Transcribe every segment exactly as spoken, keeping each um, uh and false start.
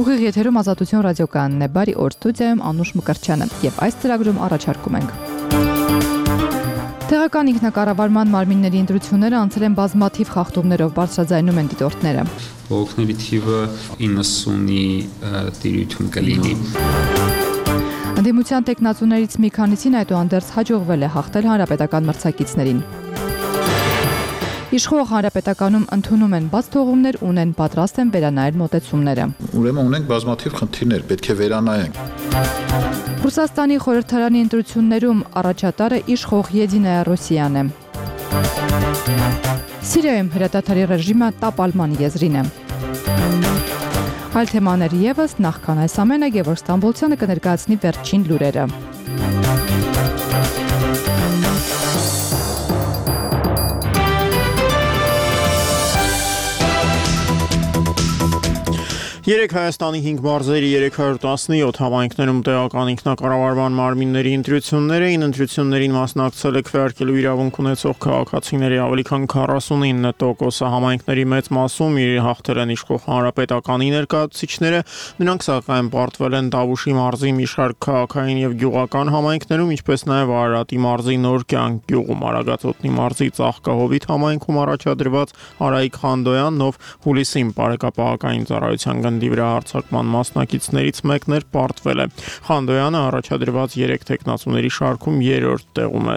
Ուղիղ եթերում Ազատություն ռադիոկայանն է, բարի օր, ստուդիայում Անուշ Մկրտչյանը, եւ այս ծրագրում առաջարկում ենք. Տեղական ինքնակառավարման մարմինների ընտրությունները անցել են բազմաթիվ խախտումներով, բարձրաձայնում են դիտորդները. Բողոքների թիվը իննսունի տիրույթում կլինի. Ընդդիմության տեխնացուներից մի քանիսին այդուհանդերձ հաջողվել է հաղթել հանրապետական մրցակիցներին. Իշխող հանրապետականում ընդունում են բաց թողումներ, ունեն պատրաստ են վերանայել մոտեցումները. Ուրեմն ունենք բազմաթիվ խնդիրներ, պետք է վերանայենք. Ռուսաստանի խորհրդարանի ընտրություններում առաջատարը իշխող Եդինայա Ռոսիան է. Սիրիայում հրադադարի ռեժիմը տապալման եզրին է. Այլ թեմաներ ևս, նախքան այս ամենը Գևորգ Ստամբոլցյանը կներկայացնի վերջին լուրերը. Երեք Հայաստանի հինգ մարզերի երեք հարյուր տասնյոթ համայնքներում տեղական ինքնակառավարման մարմինների ընտրություններ էին. Ընտրություններին մասնակցել է քվեարկելու իրավունք ունեցող քաղաքացիների ավելի քան քառասունինը տոկոսը. Համայնքների մեծ մասում հաղթել են իշխող հանրապետականի ներկայացուցիչները. Նրանք սակայն պարտվել են Տավուշի մարզի մի շարք քաղաքային եւ գյուղական համայնքներում, ինչպես նաեւ Արարատի մարզի Նոր կյանք գյուղում, Արագածոտնի մարզի Ծաղկահովիտ համայնքում առաջադրված Արայիկ Խանդոյանն, ով հուլիսին բարեկապահական ծառայության գնդի վրա հարձակման մասնակիցներից մեկն էր, պարտվել է. Խանդոյանը առաջադրված երեք տեխնացուների շարքում երրորդ տեղում է.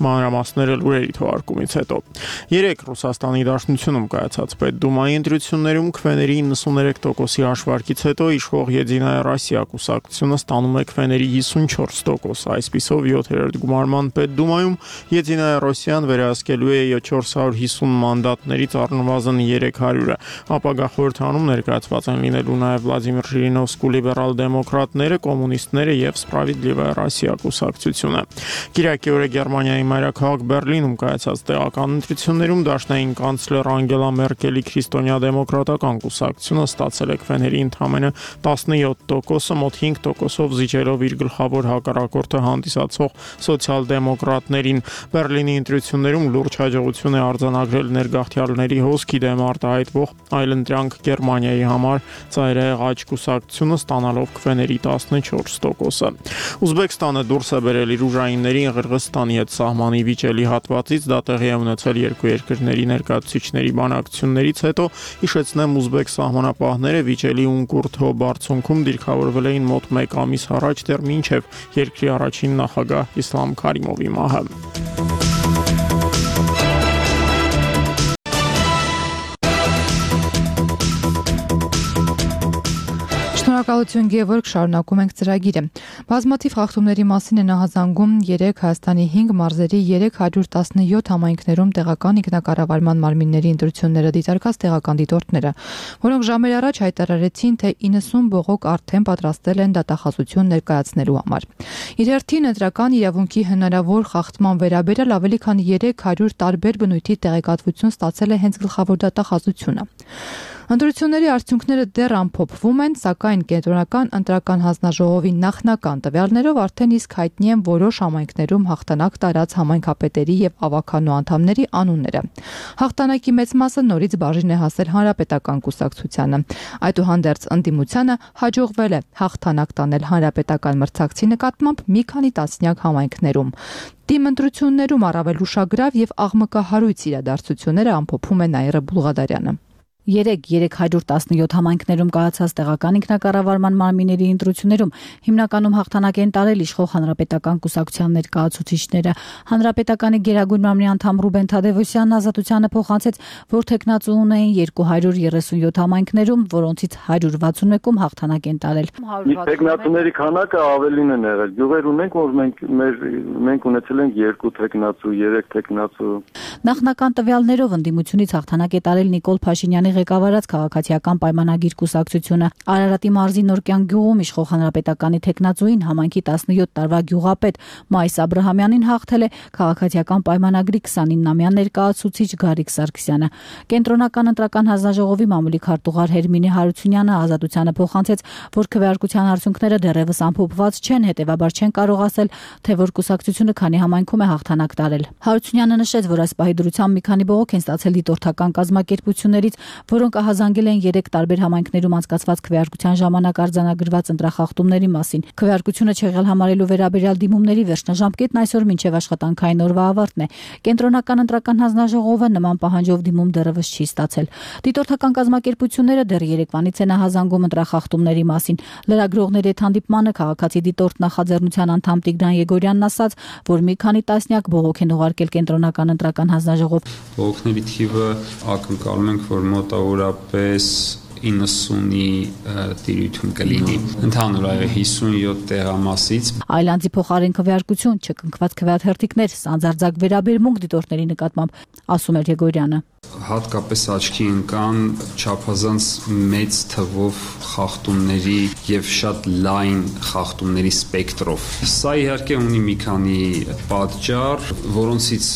Մանրամասները լուրերի թողարկումից հետո. Երեք Ռուսաստանի Դաշնությունում կայացած պետդումայի ընտրություններում քվեների իննսուններեք տոկոսի հաշվարկից հետո իշխող Եդինայա Ռոսիա կուսակցությունը ստանում է քվեների հիսունչորս տոկոս. Այսպիսով յոթերորդ գումարման պետդումայում Եդինայա Ռոսիան վերահսկելու է չորս հարյուր հիսուն մանդատներից առնվազն երեք հարյուրը. Ապագա խորհրդանում ներկայացված են լինելու նաև Վլադիմիր Ժիրինովսկու լիբերալ դեմոկրատները, կոմունիստները եւ Սպրավիդլիվայա Ռոսիա կուսակցությունը. Կիրակի օրը Գերմանիայի մայրաքաղաք Բերլինում կայացած տեղական ընտրություններում դաշնային կանցլեր Անգելա Մերկելի քրիստոնյա դեմոկրատական կուսակցությունը ստացել է քվեների ընդամենը տասնյոթ տոկոսը, մոտ հինգ տոկոսով զիջելով իր գլխավոր հակառակորդը հանդիսացող սոցիալ-դեմոկրատներին. Բերլինի ընտրություններում լուրջ հաջողություն է արձանագրել ներգաղթյալների հոսքի դեմ արտահայտվող այլընտրանք Գերմանիայի համար ծայրահեղ աճ կուսակցությունը ստանալով քվեների տասնչորս տոկոսը. Ուզբեկստանը դուրս է բերել իր ուժայիններին Ղրղըզստանի հետ սահմանի վիճելի հատվածից. Դա տեղի է ունեցել երկու երկրների ներկայացուցիչների բանակցություններից հետո. Հիշեցնեմ, ուզբեկ սահմանապահները վիճելի Ունկուրթո բարձունքում դիրքավորվել էին մոտ մեկ ամիս առաջ, դեռ մինչև երկրի առաջին նախագահ Իսլամ Քարիմովի մահը. Շնորհակալություն Գևորգ, շարունակում ենք ծրագիրը. Բազմաթիվ խախտումների մասին են ահազանգում երեք Հայաստանի հինգ մարզերի երեք հարյուր տասնյոթ համայնքներում տեղական ինքնակառավարման մարմինների ընտրությունները դիտարկած տեղական դիտորդները, որոնք ժամեր առաջ հայտարարեցին, թե իննսուն բողոք արդեն պատրաստել են դատախազություն ներկայացնելու համար. Իր հերթին ընտրական իրավունքի հնարավոր խախտման վերաբերյալ ավելի քան երեք հարյուր տարբեր բնույթի տեղեկատվություն ստացել է հենց գլխավոր դատախազությունը. Ընտրությունների արդյունքները դեռ ամփոփվում են, սակայն կենտրոնական ընտրական հանձնաժողովի նախնական տվյալներով արդեն իսկ հայտնի են որոշ համայնքներում հաղթանակ տարած համայնքապետերի եւ ավականու անդամների անունները. Հաղթանակի մեծ մասը նորից բաժին է հասել հանրապետական կուսակցությանը. Այդուհանդերձ ընդդիմությանը հաջողվել է հաղթանակ տանել հանրապետական մրցակցի նկատմամբ մի քանի տասնյակ համայնքներում. Թիմ ընտրություններում առավել ուշագրավ եւ աղմկահարույց իրադարձությունները ամփոփում է Նաիրա Բուլղադարյանը. Երեք երեք հարյուր տասնյոթ համայնքներում կայացած տեղական ինքնակառավարման մարմինների ընտրություններում հիմնականում հաղթանակ են տարել իշխող հանրապետական կուսակցության ներկայացուցիչները. Հանրապետականի Գերագույն մարմնի անդամ Ռուբեն Թադևոսյանն Ազատությանը փոխանցեց, որ տեխնացու ունեին երկու հարյուր երեսունյոթ համայնքներում, որոնցից հարյուր վաթսունմեկում հաղթանակ են տարել. Տեխնացուների քանակը ավելին են եղել. Գյուղեր ունենք, որ մենք մեր մենք ունեցել ենք երկու տեխնացու, երեք տեխնացու. Նախնական տվյալներով ընդդիմությունից հաղթանակ է տարել Նիկոլ Փաշինյանի ղեկավարած քաղաքացիական պայմանագիր կուսակցությունը. Արարատի մարզի Նոր կյանք գյուղում իշխող հանրապետականի տեխնացուին համայնքի տասնյոթ տարվա գյուղապետ Մայիս Աբրահամյանին հաղթել է քաղաքացիական պայմանագրի քսանինամյա ներկայացուցիչ Գարիկ Սարգսյանը. Կենտրոնական ընտրական հանձնաժողովի մամուլի քարտուղար Հերմինե Հարությունյանը Ազատությանը փոխանցեց, որ քվեարկության արդյունքները դեռևս ամփոփված չեն, հետևաբար չեն կարող ասել, թե որ կուսակցությունը քանի համայնքում է հաղթանակ տարել. Հարությունյանը նշեց, որ այս պահի դրությամբ մի քանի բողոք են ստացել դիտորդական կազմակերպություններից, որոնք ահազանգել են երեք տարբեր համայնքներում անցկացված քվեարկության ժամանակ արձանագրված ընտրախախտումների մասին։ Քվեարկությունը չեղյալ համարելու վերաբերյալ դիմումների վերջնաժամկետն այսօր մինչև աշխատանքային օրվա ավարտն է։ Կենտրոնական ընտրական հանձնաժողովը նման պահանջով դիմում դեռևս չի ստացել։ Դիտորդական կազմակերպությունները դեռ երեկվանից են ահազանգում ընտրախախտումների մասին։ Լրագրողների հետ հանդիպմանը քաղաքացի դիտորդ նախաձեռնության անդամ Տիգրան Եգորյանն ասաց, որ մի քանի տասնյակ բողոք են ուղարկել կենտրոնական ընտրական հանձնաժողով։ Բողոքների թիվը ակնկալում ենք, որ մոտավորապես իննսունի տիրույթում կլինի։ Ընդհանուր այո հիսունյոթ տեղամասից։ Այլանդի փոխարեն քվեարկություն, չկնքված քվեաթերթիկներ, սանձարձակ վերաբերմունք դիտորդների նկատմամբ, ասում էր Եգորյանը։ Հատկապես աչքի ընկան չափազանց մեծ թվով խախտումների եւ շատ լայն խախտումների սպեկտրով։ Սա իհարկե ունի մի քանի պատճառ, որոնցից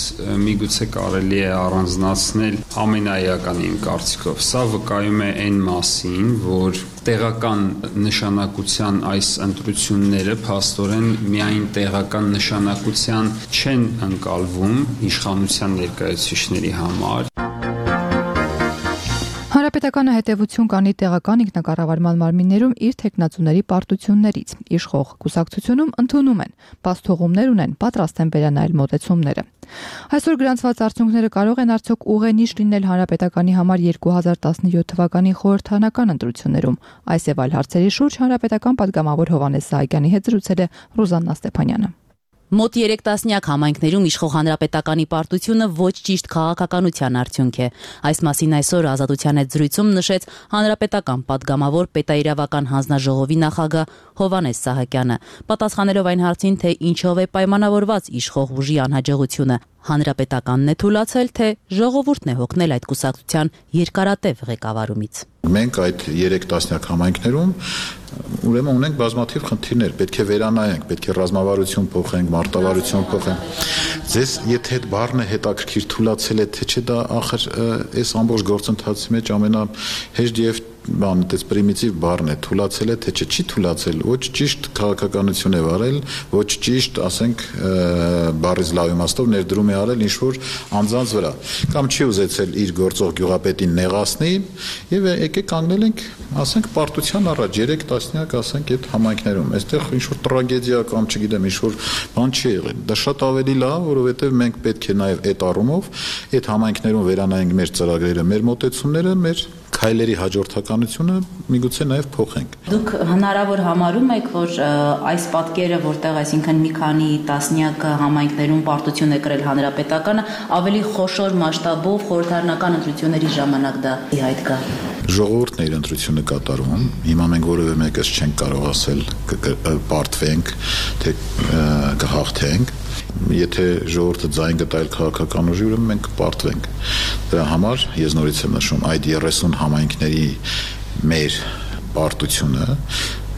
միգուցե կարելի է առանձնացնել ամենաէականի իմ կարծիքով։ Սա վկայում է այն մասին, որ տեղական նշանակության այս ընտրությունները փաստորեն միայն տեղական նշանակության չեն ընկալվում իշխանության ներկայացուցիչների համար։ Հանրապետականը հետևություն կանի տեղական ինքնակառավարման մարմիններում իր թեկնածուների պարտություններից։ Իշխող կուսակցությունում ընդունում են, բացթողումներ ունեն, պատրաստ են վերանայել մոտեցումները։ Այսօր գրանցված արդյունքները կարող են արդյոք ուղենիշ լինել Հանրապետականի համար երկու հազար տասնյոթ թվականի խորհրդարանական ընտրություններում։ Այս եւ այլ հարցերի շուրջ Հանրապետական պատգամավոր Հովհաննես Սահակյանի հետ զրուցել է Ռուզաննա Ստեփանյանը։ Մոտ երեք տասնյակ համայնքներում իշխող հանրապետականի պարտությունը ոչ ճիշտ քաղաքականության արդյունք է։ Այս մասին այսօր Ազատության հետ զրույցում նշեց հանրապետական պատգամավոր պետաիրավական հանձնաժողովի նախագահ Հովհաննես Սահակյանը, պատասխանելով այն հարցին, թե ինչով է պայմանավորված իշխող ուժի անհաջողությունը, հանրապետականն է թույլատրել, թե ժողովուրդն է հոգնել այդ կուսակցության երկարատև ղեկավարումից։ Մենք այդ երեք տասնյակ համայնքներում ուրեմն ունենք բազմաթիվ խնդիրներ, պետք է վերանայենք, պետք է ռազմավարություն փոխենք, մարտավարություն փոխենք։ Ձեզ եթե այդ բառն է հետաքրքիր թույլատրել է, թե չէ, դա ախր այս ամբողջ գործընթացի մեջ ամենահեշտ եւ բանը դες պրիմիտիվ բառն է, թույլատրել է, թե չէ, չի թույլատրել, ոչ ճիշտ քաղաքականություն է վարել, ոչ ճիշտ, ասենք, բառից լավ իմաստով ներդրում է արել ինչ-որ անձանց վրա, կամ չի ուզեցել իր գործող գյուղապետին նեղացնի, եւ եկեք կանգնել ենք, ասենք, պարտության առաջ երեք տասնյակ, ասենք, այդ համայնքներում, այստեղ ինչ-որ տրագեդիա կամ չգիտեմ, ինչ-որ բան չի եղել։ Դա շատ ավելի լավ, որովհետեւ մենք պետք է նաեւ այդ առումով այդ համայնքներում վերանայենք մեր ծրագրերը, մեր մոտեցումները, մեր քայլերի հաջորդականությունը միգուցե նաև փոխենք։ Դուք հնարավոր համարում եք, որ այս պատկերը, որտեղ այսինքն մի քանի տասնյակ համայնքներում պարտություն է կրել հանրապետականը, ավելի խոշոր մասշտաբով խորհրդարանական ընտրությունների ժամանակ դա ի հայտ գա։ Ժողովուրդն է իր ընտրությունը կատարում։ Հիմա մենք որևէ մեկս չենք կարող ասել պարտվենք, թե կհաղթենք։ Եթե ժողովուրդը ձայն գտայել քաղաքական ուժի, ուրեմն մենք կպարտվենք։ Դրա համար ես նորից եմ նշում, այդ երեսուն համայնքների մեր պարտությունը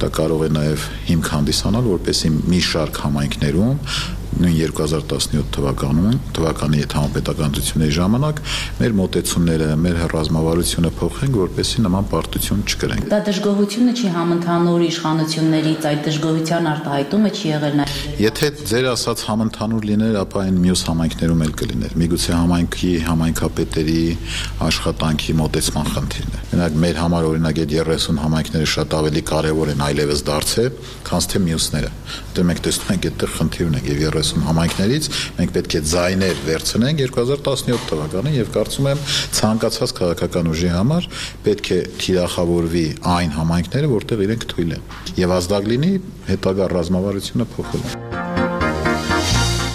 դա կարող է նաև հիմք հանդիսանալ, որպեսզի մի շարք համայնքներում նույն երկու հազար տասնյոթ թվականում թվականի այդ համապետական ընտրությունների ժամանակ մեր մոտեցումները, մեր ռազմավարությունը փոխենք, որպեսզի նման պարտություն չկրենք։ Դա դժգոհությունը չի համընդհանուր իշխանություններից, այդ դժգոհության արտահայտումը չի եղել նաև։ Եթե ձեր ասած համընդհանուր լիներ, ապա այն մյուս համայնքներում էլ կլիներ։ Միգուցե համայնքի, համայնքապետերի աշխատանքի մոտեցման խնդիրն է։ Մենակ մեր համար օրինակ այդ երեսուն համայնքները շատ ավելի կարևոր են այլևս դարձել, քան թե մյուսները։ Դե մենք տեսնում ենք այդտեղ խնդիր ունենք եւ երեսուն համայնքներից մենք պետք է ձայներ վերցնենք երկու հազար տասնյոթ թվականին եւ կարծում եմ ցանկացած քաղաքական ուժի համար պետք է թիրախավորվի այն համայնքները, որտեղ իրենք թույլ են եւ ազդակ լինի հետագա ռազմավարությունը փոխելու։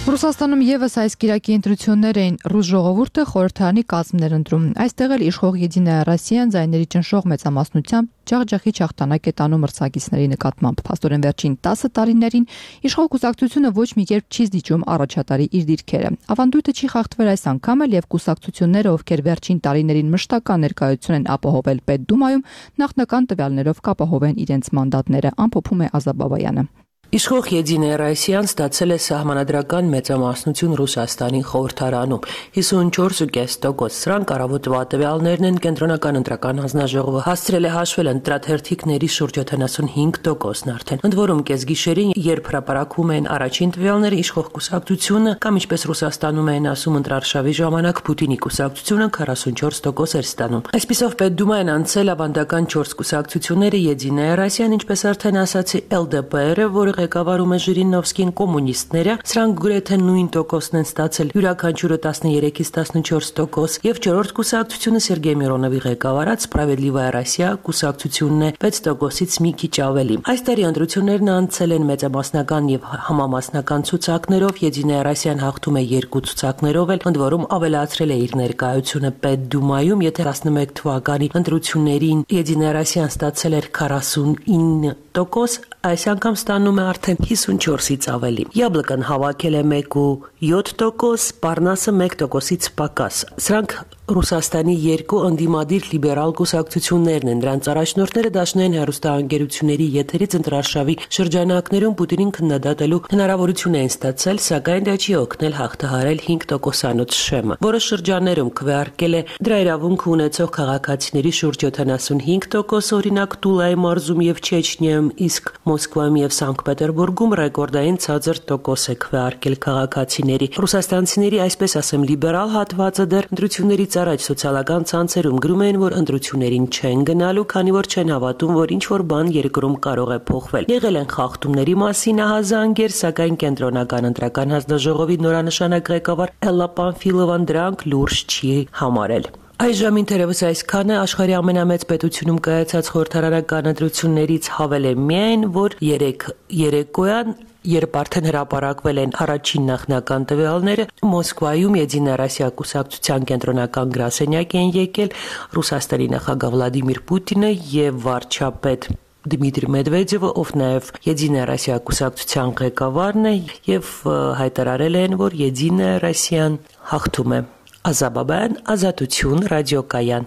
Ռուսաստանում եւս այս կիրակի ընտրություններ էին, ռուս ժողովուրդը խորհրդարանի կազմներ ընտրում։ Այստեղ էլ իշխող Եդինայա Ռոսիան ձայների ճնշող մեծամասնությամբ ջախջախի չախտանակ է տանում մրցակիցների նկատմամբ։ Փաստորեն վերջին տասը տարիներին իշխող կուսակցությունը ոչ մի կերպ չի զիջում առաջատարի իր դիրքերը։ Ավանդույթը չի խախտվել այս անգամ էլ եւ կուսակցությունները, ովքեր վերջին տարիներին մշտական ներկայություն են ապահովել Պետդումայում, նախնական տվյալներով կապահովեն իրենց մանդատները, ամփոփում է Ազատ Բաբայանը։ Իշխող Եդինե Ռայսյան ստացել է սահմանադրական մեծամասնություն Ռուսաստանի խորհրդարանում հիսունչորս փոխանակ կես տոկոս։ Սրանք առավոտվա տվյալներն են կենտրոնական ընտրական հանձնաժողովը հասցրել է հաշվել ընտրաթերթիկների շուրջ յոթանասունհինգ տոկոսն արդեն։ Ընդ որում կեսգիշերին, երբ հրապարակում են առաջին տվյալները, իշխող կուսակցությունը կամ ինչպես Ռուսաստանում են ասում ընտրարշավի ժամանակ Պուտինի կուսակցությունը քառասունչորս տոկոս էր ստանում։ Այսպիսով Պետդումային անցել ավանդական չորս կուսակցությունները Եդինե Ռայսյան, ինչպես արդեն ասացի, Էլ Դե Պի Էրը, որը ղեկավարում է Ժիրինովսկին, կոմունիստները, սրանք գրեթե նույն տոկոսն են ստացել, յուրաքանչյուրը տասներեքից տասնչորս տոկոս, եւ չորրորդ կուսակցությունը Սերգեյ Միրոնովի ղեկավարած Սպրավեդլիվայա Ռոսիա կուսակցությունն է վեց տոկոսից մի քիչ ավելի։ Այս տարի ընտրություններն անցել են մեծամասնական եւ համամասնական ցուցակներով, Եդինե Ռայսյան հաղթում է երկու ցուցակներով, էլ ընդ որում ավելացրել է իր ներկայությունը Պետդումայում, եթե տասնմեկ թվականի ընտրություններին Եդինե Ռայսյան ստացել էր քառասունինը տոկոս, այս անգամ ստանում է արդեն հիսունչորսից ավելի։ Յաբլկան հավաքել է մեկ փոխանակ յոթ տոկոս, Պարնասը մեկ տոկոսից պակաս։ Սրանք Ռուսաստանի երկու ընդդիմադիր լիբերալ կուսակցություններն են, դրանց առաջնորդները դաշնային հեռուստաընկերությունների եթերից ընտրարշավի շրջանակներում Պուտինին քննադատելու հնարավորություն էին ստացել, սակայն դա չի օգնել հաղթահարել հինգ տոկոսանոց շեմը, որը շրջաններում քվեարկել է դրա իրավունք ունեցող քաղաքացիների շուրջ յոթանասունհինգ տոկոս, օրինակ Տուլայի մարզում եւ Չեչնիայում, իսկ Մոսկվայում եւ Սանկտ Պետերբուրգում ռեկորդային ցածր տոկոս է քվեարկել քաղաքացիների։ Ռուսաստանցիների, այսպես ասեմ, լիբերալ հատվածը դեռ ընտրություններից առաջ սոցիալական ցանցերում գրում են, որ ընտրություններին չեն գնալու, քանի որ չեն հավատում, որ ինչ-որ բան երկրում կարող է փոխվել։ Եղել են խախտումների մասին ահազանգեր, սակայն կենտրոնական ընտրական հանձնաժողովի նորանշանակ ղեկավար Էլլա Պանֆիլովան դրանք լուրջ չի համարել։ Այժմ թերևս այսքանը աշխարհի ամենամեծ պետությունում կայացած խորհրդարանական ընտրություններից հավել է միայն, որ երեք երեկոյան, երբ արդեն հրապարակվել են առաջին նախնական տվյալները, Մոսկվայում Եդինե Ռոսիա կուսակցության կենտրոնական գրասենյակ են եկել Ռուսաստանի նախագահ Վլադիմիր Պուտինը եւ վարչապետ Դմիտրի Մեդվեդևը, ով նաև Եդինե Ռոսիա կուսակցության ղեկավարն է, եւ հայտարարել են, որ Եդինե Ռոսիան հաղթում է։ Ազաբաբան, Ազատություն, ռադիոկայան։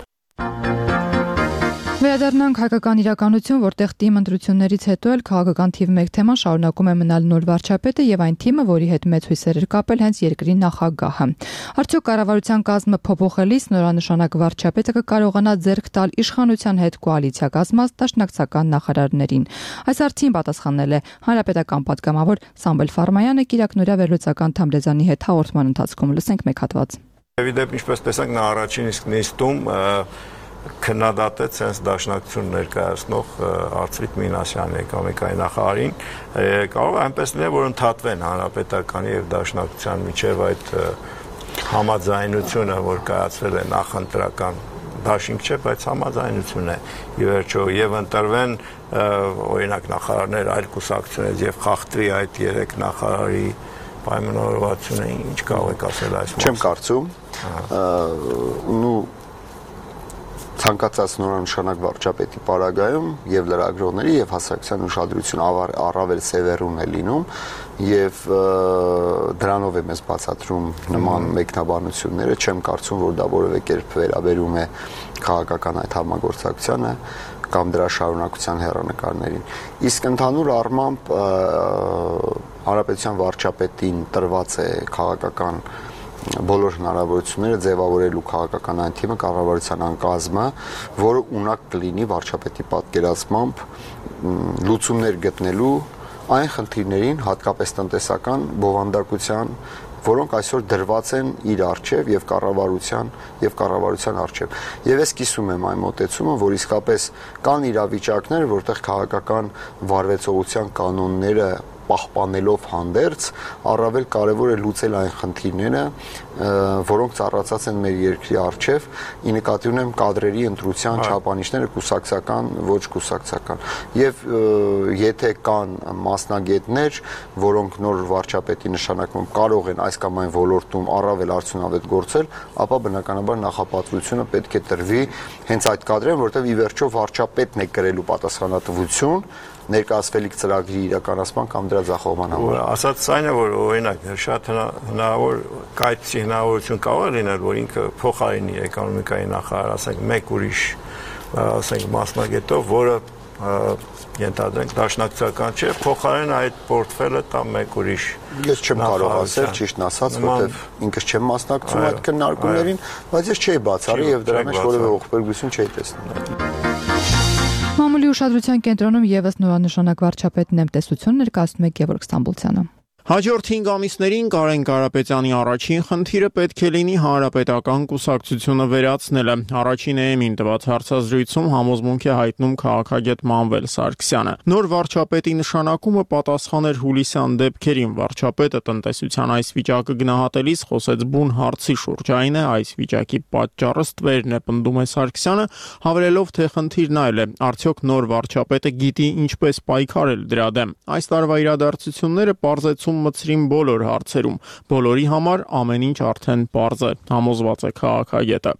Վերադառնանք հայկական իրականություն, որտեղ թիմ ընտրություններից հետո էլ քաղաքական թիվ մեկ թեման շարունակում է մնալ նոր վարչապետը եւ այն թիմը, որի հետ մեծ հույսեր էր կապել հենց երկրի նախագահը։ Արդյոք կառավարության կազմը փոփոխելիս նորանշանակ վարչապետը կկարողանա ձեռք տալ իշխանության հետ կոալիցիա կազմած դաշնակցական նախարարներին։ Այս հարցին պատասխանել է հանրապետական պատգամավոր Սամվել Ֆարմայանը Կիրակնորյա վերլուծական թամրեզանի հետ հաղորդման ընթացքում։ Լսենք մեկ հատված։ Դեպի ինչպես տեսանք նա առաջին իսկ նիստում քննադատեց հենց դաշնակցություն ներկայացնող Արծվիկ Մինասյանի էկոնոմիկայի նախարարին, կարող է այնպես լինել, որ ընդհատվեն հանրապետականի եւ դաշնակցության միջև այդ համաձայնությունը, որ կայացվել է նախընտրական դաշինք չէ, բայց համաձայնություն է ի վերջո եւ ընտրվեն օրինակ նախարարներ այլ կուսակցություններից եւ խախտվի այդ երեք նախարարի պայմանավորվածությունը, ինչ կարող եք ասել այս մասին։ Չեմ կարծում, ու ցանկացած նորանշանակ վարչապետի պարագայում եւ լրագրողների եւ հասարակության ուշադրությունը առավել սևեռուն է լինում եւ դրանով է մեզ բացատրում նման մեկնաբանությունները, չեմ կարծում, որ դա որևէ կերպ վերաբերում է քաղաքական այդ համագործակցությանը կամ դրա շարունակության հեռանկարներին։ Իսկ ընդհանուր առմամբ հանրապետության վարչապետին տրված է քաղաքական բոլոր հնարավորությունները ձևավորելու քաղաքական այն թիմը, կառավարության անկազմը, որը ունակ կլինի վարչապետի պատկերացմամբ լուծումներ գտնելու այն խնդիրներին, հատկապես տնտեսական բովանդակության, որոնք այսօր դրված են իր առջև եւ կառավարության եւ կառավարության առջև։ Եվ ես կիսում եմ այն մոտեցումը, որ իսկապես կան իրավիճակներ, որտեղ քաղաքական վարվեցողության կանոնները պահպանելով հանդերձ առավել կարևոր է լուծել այն խնդիրները, որոնք ծառացած են մեր երկրի առջև, ի նկատի ունեմ կադրերի ընտրության չափանիշները կուսակցական, ոչ կուսակցական։ Եվ եթե կան մասնագետներ, որոնք նոր վարչապետի նշանակում կարող են այս կամ այն ոլորտում առավել արդյունավետ գործել, ապա բնականաբար նախապատվությունը պետք է տրվի հենց այդ կադրերին, որտեղ ի վերջո վարչապետն է կրելու պատասխանատվություն ներկայացվելիք ծրագրի իրականացման կամ դրա ձախողման համար։ Ասած այն է, որ օրինակ շատ հնարավոր կայացի հնարավորություն կարող է լինել, որ ինքը փոխարինի էկոնոմիկայի նախարար, ասենք մեկ ուրիշ, ասենք մասնագետով, որը ենթադրենք դաշնակցական չէ, փոխարեն այդ պորտֆելը տա մեկ ուրիշ։ Ես չեմ կարող ասել, ճիշտն ասած, որտեվ ինքս չեմ մասնակցում այդ քննարկումներին, բայց ես չէի բացառի եւ դրա մեջ որևէ ողբերգություն չէի տեսնում։ Մամուլի ուշադրության կենտրոնում եւս նորանշանակ վարչապետն եմ տեսություն ներկայացնում է Գևորգ Ստամբուլցյանը։ Հաջորդ հինգ ամիսներին Կարեն Կարապետյանի առաջին խնդիրը պետք է լինի հանրապետական կուսակցությունը վերացնելը։ Առաջին էեմին տված հարցազրույցում համոզմունք է հայտնում քաղաքագետ Մանվել Սարգսյանը։ Նոր վարչապետի նշանակումը պատասխան էր հուլիսյան դեպքերին։ Վարչապետը տնտեսության այս վիճակը գնահատելիս խոսեց բուն հարցի շուրջ, այն է այս վիճակի պատճառը ստվերն է, պնդում է Սարգսյանը, հավելելով, թե խնդիրն այլ է, արդյոք նոր վարչապետը գիտի ինչպես պայքարել դրա դեմ։ Այս տարվա իրադարձությունները պարզեցում մցրին բոլոր հարցերում, բոլորի համար ամեն ինչ արդեն պարզ է, համոզված է քաղաքագետը։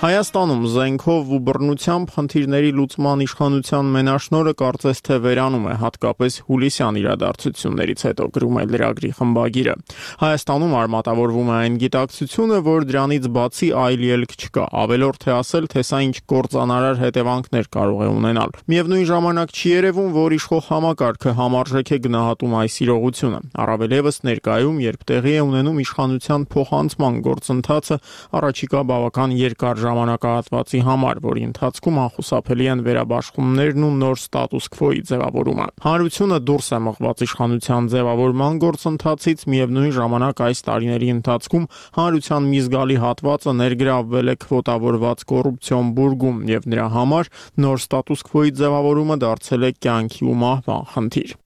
Հայաստանում զենքով ու բռնությամբ խնդիրների լուծման իշխանության մենաշնորհը կարծես թե վերանում է, հատկապես հուլիսյան իրադարձություններից հետո, գրում է լրագրի խմբագիրը։ Հայաստանում արմատավորվում է այն գիտակցությունը, որ դրանից բացի այլ ելք չկա, ավելորդ է ասել, թե սա ինչ կործանարար հետևանքներ կարող է ունենալ։ Միևնույն ժամանակ չի երևում, որ իշխող համակարգը համարժեք է գնահատում այս իրողությունը։ Առավել ևս ներկայում, երբ տեղի է ունենում իշխանության փոխանցման գործընթացը, առաջիկա բավական երկար ժամանակահատվածի համար, որի ընթացքում անխուսափելի են վերաբաշխումներն ու նոր ստատուս քվոյի ձևավորումը։ Հանրությունը դուրս է մղված իշխանության ձևավորման գործընթացից, միևնույն ժամանակ այս տարիների ընթացքում հանրության մի զգալի հատվածը ներգրավվել է քվոտավորված կոռուպցիոն բուրգում եւ նրա համար նոր ստատուս քվոյի ձևավորումը դարձել է կյանքի ու մահվան խնդիր։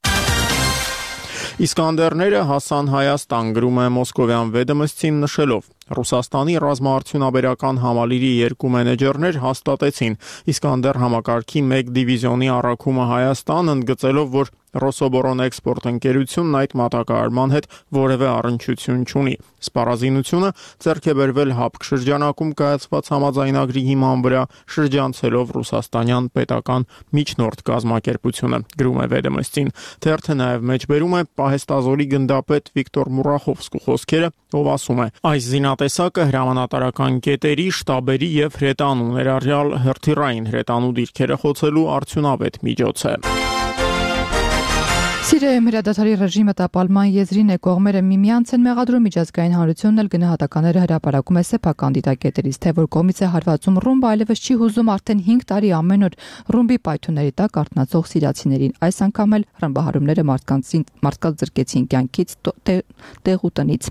Իսկանդերները հասան Հայաստան, գրում է Մոսկովյան Վեդոմստին նշելով. Ռուսաստանի ռազմաարդյունաբերական համալիրի երկու մենեջերներ հաստատեցին Իսկանդեր համակարգի մեկ դիվիզիոնի առաքումը Հայաստան, ընդգծելով, որ Ռոսոբորոնեքսպորտ ընկերությունն այդ մատակարարման հետ որևէ առնչություն չունի։ Սպառազինությունը ձեռք է բերվել ՀԱՊԿ շրջանակում կայացված համաձայնագրի հիման վրա, շրջանցելով ռուսաստանյան պետական միջնորդ կազմակերպությունը, գրում է Վեդոմստին։ Թերթը նաև մեջբերում է պահեստազորի գնդապետ Վիկտոր Մուրախովսկու խոսքերը, ով ասում է. այս զինատեսակը հրամանատարական կետերի, շտաբերի եւ հրետանու ներառյալ հրթիռային հրետանու դիրքերը խոցելու արդյունավետ միջոց է։ Սիրիայում հրադադարի ռեժիմը տապալման եզրին է, կողմերը միմյանց են մեղադրում, միջազգային հանրությունն էլ գնահատականները հրապարակում է սեփական դիտակետերից, թե որ կողմից է հարվածում ռումբը, այլևս չի հուզում արդեն հինգ տարի ամեն օր ռումբի պայթունների տակ արթնացող սիրիացիներին։ Այս անգամ էլ ռմբահարումները մարդկանց մարդկանց զրկեցին կյանքից, տեղ ու տնից։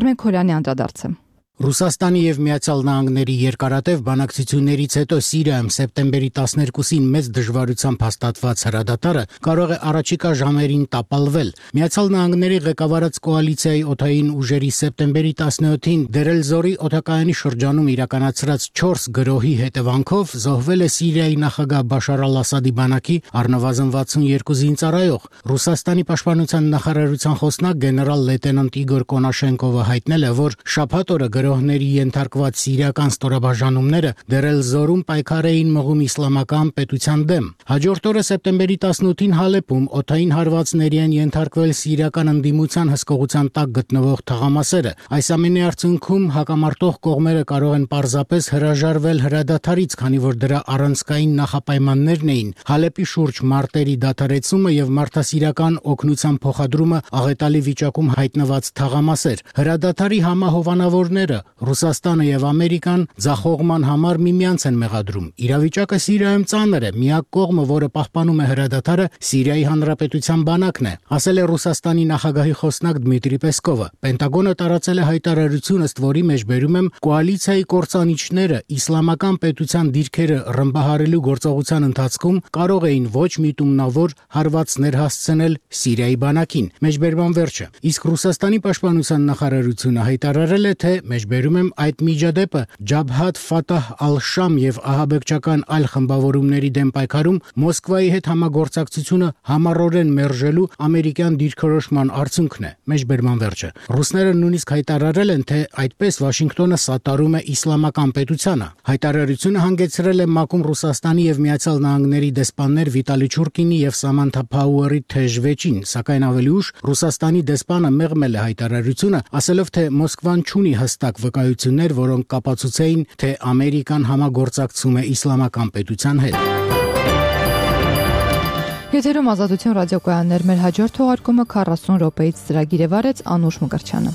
Արմեն Քորյանի անդրադարձը։ Ռուսաստանի եւ Միացյալ Նահանգների երկարատև բանակցություններից հետո Սիրիայում սեպտեմբերի տասներկուսին մեծ դժվարությամբ հաստատված հրադադարը կարող է առաջիկա ժամերին տապալվել։ Միացյալ Նահանգների ղեկավարած կոալիցիայի օդային ուժերի սեպտեմբերի տասնյոթին Դերել-Զորի օդակայանի շրջանում իրականացրած չորս գրոհի հետևանքով զոհվել է Սիրիայի նախագահ Բաշար al-Ասադի բանակի առնվազն վաթսունյոթ զինծառայող։ Ռուսաստանի պաշտպանության նախարարության խոսնակ գեներալ լեյտենանտ Իգոր Կոնաշենկովը հայտնել է, որ շաբաթ օրը գրոհների ենթարկված սիրիական ստորաբաժանումները Դերել-Զորում պայքար էին մղում իսլամական պետության դեմ։ Հաջորդ օրը սեպտեմբերի տասնութին Հալեպում օդային հարվածների են ենթարկվել սիրիական ընդդիմության հսկողության տակ գտնվող թղամասերը։ Այս ամենի արդյունքում հակամարտող կողմերը կարող են պարզապես հրաժարվել հրադադարից, քանի որ դրա առանցքային նախապայմաններն էին Հալեպի շուրջ մարտերի դադարեցումը եւ մարդասիրական օգնության փոխադրումը աղետալի վիճակում հայտնված թղամասեր։ Հրադադարի համահովանավորները Ռուսաստանը եւ Ամերիկան ձախողման համար միմյանց են մեղադրում։ Իրավիճակը Սիրիայում ծանր է, միակ կողմը, որը պահպանում է հրադադարը, Սիրիայի Հանրապետության բանակն է, ասել է Ռուսաստանի նախագահի խոսնակ Դմիտրի Պեսկովը։ Պենտագոնը տարածել է հայտարարություն, ըստ որի մեջ բերում եմ կոալիցիայի կործանիչները իսլամական պետության դիրքերը ռմբահարելու գործողության ընթացքում կարող էին ոչ միտումնավոր հարվածներ հասցնել Սիրիայի բանակին։ Մեջբերման վերջը։ Իսկ Ռուսաստանի պաշտպանության նախարարությունը հայտարարել է, թե մեջբերում եմ այդ միջադեպը Ջաբհաթ Ֆաթահ ալ-Շամ եւ ահաբեկչական այլ խմբավորումների դեմ պայքարում Մոսկվայի հետ համագործակցությունը համառորեն մերժելու ամերիկյան դիրքորոշման արդյունքն է։ Մեջբերման վերջը։ Ռուսները նույնիսկ հայտարարել են, թե այդպես Վաշինգտոնը սատարում է իսլամական պետությանը։ Հայտարարությունը հանգեցրել է ՄԱԿ-ում Ռուսաստանի եւ Միացյալ Նահանգների դեսպաններ Վիտալի Չուրկինի եւ Սամանթա Փաուերի թեժ վեճին, սակայն ավելի ուշ Ռուսաստանի դեսպանը մեղմել է հայտարարությունը, ասելով, թե Մոսկվան չունի հստակ վկայություններ, որոնք կապացուցեին, թե Ամերիկան համագործակցում է իսլամական պետության հետ։ Եթերում Ազատություն ռադիոկայաններ, մեր հաջորդ թողարկումը քառասուն րոպեից ծրագիր է վարեց Անուշ Մկրտչյանը։